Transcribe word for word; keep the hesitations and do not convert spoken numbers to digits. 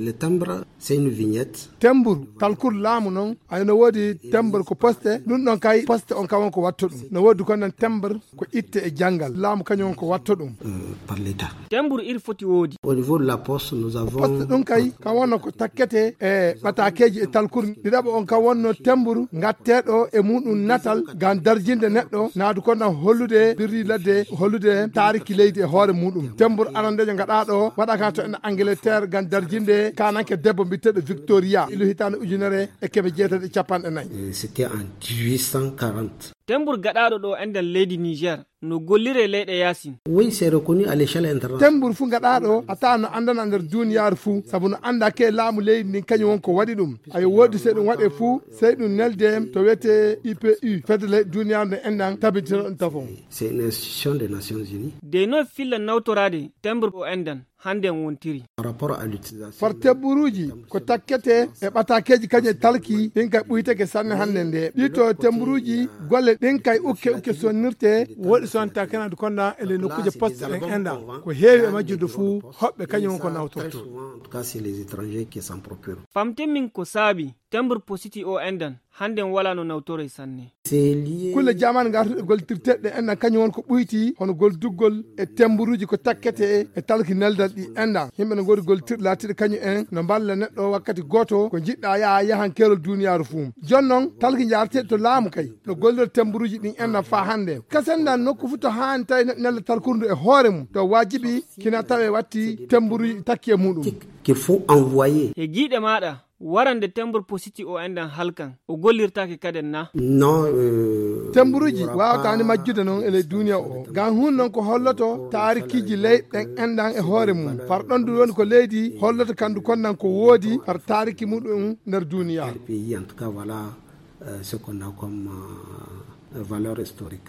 Le timbre, c'est une vignette. Tembur, talkur laamu noon, ay no woodi tembur ko poste, ɗum ɗon kay poste on kawon ko watto ɗum. No woodi ko nan tembur ko itte e janngal. Laamu kañum on ko watto ɗum. Euh, par l'État. Tembur iri foti woodi. Au niveau de la poste, nous avons. Poste ɗum kay, ka wonno ko takkete e ɓatakeeji e talkur. Ɗiɗaɓo on ka wonno tembur, ngatteeɗo e muɗum natal, ngam darjinde neɗɗo, naadu ko nan hollude birri ladde, hollude taariki leydi e hoore muɗum. Tembur arandejo ngaɗaaɗo, waɗa ka to en Angleterre, ngam darjinde kananke debbo mbiteɗo Victoria, ilu hitaande ujunere e keme jeetati e capanɗe nayi. Euh, c'était en dix-huit cent quarante. Tembur gaɗaaɗo ɗo enɗan leydi Niger, no gollire leyɗe yaasin. Oui, c'est reconnu à l'échelle internationale. Tembur fu gaɗaaɗo, a taa no anndana nder duniyaaru fu, sabu no annda ke laamu leydi ndin kañum won ko waɗi ɗum. Ayo woodi sey ɗum waɗe fu, sey ɗum nelde to wiyete I P U, fedde leyɗe duniyaaru nde enɗan tabitino ɗum tafon. C'est une institution des Nations Unies. De no filla nawtoraade tembur o enɗan, hannde en wontiri. Par rapport à l'utilisation. Far temburuuji ko takkete e ɓatakeeji kañum e talki, ɗin kay ɓuytake sanne hannde nde. Ɗi to temburuuji, golle ɗin kay ukke ukke sonnirte. Woɗi sonta kenadu konda e le nokkuuje poste en enɗan. Ko heewi e majjude fuu, hoɓɓe kañum won ko nawtorto. Très souvent, en tout cas, c'est les étrangers qui s'en procurent. Famten min ko saabi tembur positi o enɗan, hannde en wala no nawtoroy sanne. C'est lié. Kulle jamaanu ngartuɗe gollitirteɗe enɗan kañum won ko ɓuyti, hono golduggol e temburuuji ko takkete e talki neldal ɗi enɗan. Yimɓe no ngoodi gollitirɗe laatiɗe kañum en no mballa neɗɗo wakkati gooto ko njiɗɗa yaha yahan keerol duniyaaru fuu. Jooni noon, talki njaareteeɗi to laamu kay no gollira temburuuji ɗin enɗan faa hannde. Kasen nokku fuu to haani tawi neɗɗo nelda talkuru ndu e hoore mum, to waajibi kina tawe watti temburuuji takki e muɗum. Qu'il faut envoyer. He giiɗe maaɗa, warande tembur positi o enɗan halkan, o gollirtaake kaden na? Non, euh, temburuuji il y aura waawataani pas majjude noon e ley duniya o. Ngam hun noon ko holloto taarikiiji leyɗe ɗen enɗan e hoore mum. Far ɗon ndu woni ko leydi holloto kandu konnan ko woodi far taariki muɗum nder duniya. Pays, en tout cas, voilà, euh, ce qu'on a comme, euh, valeur historique.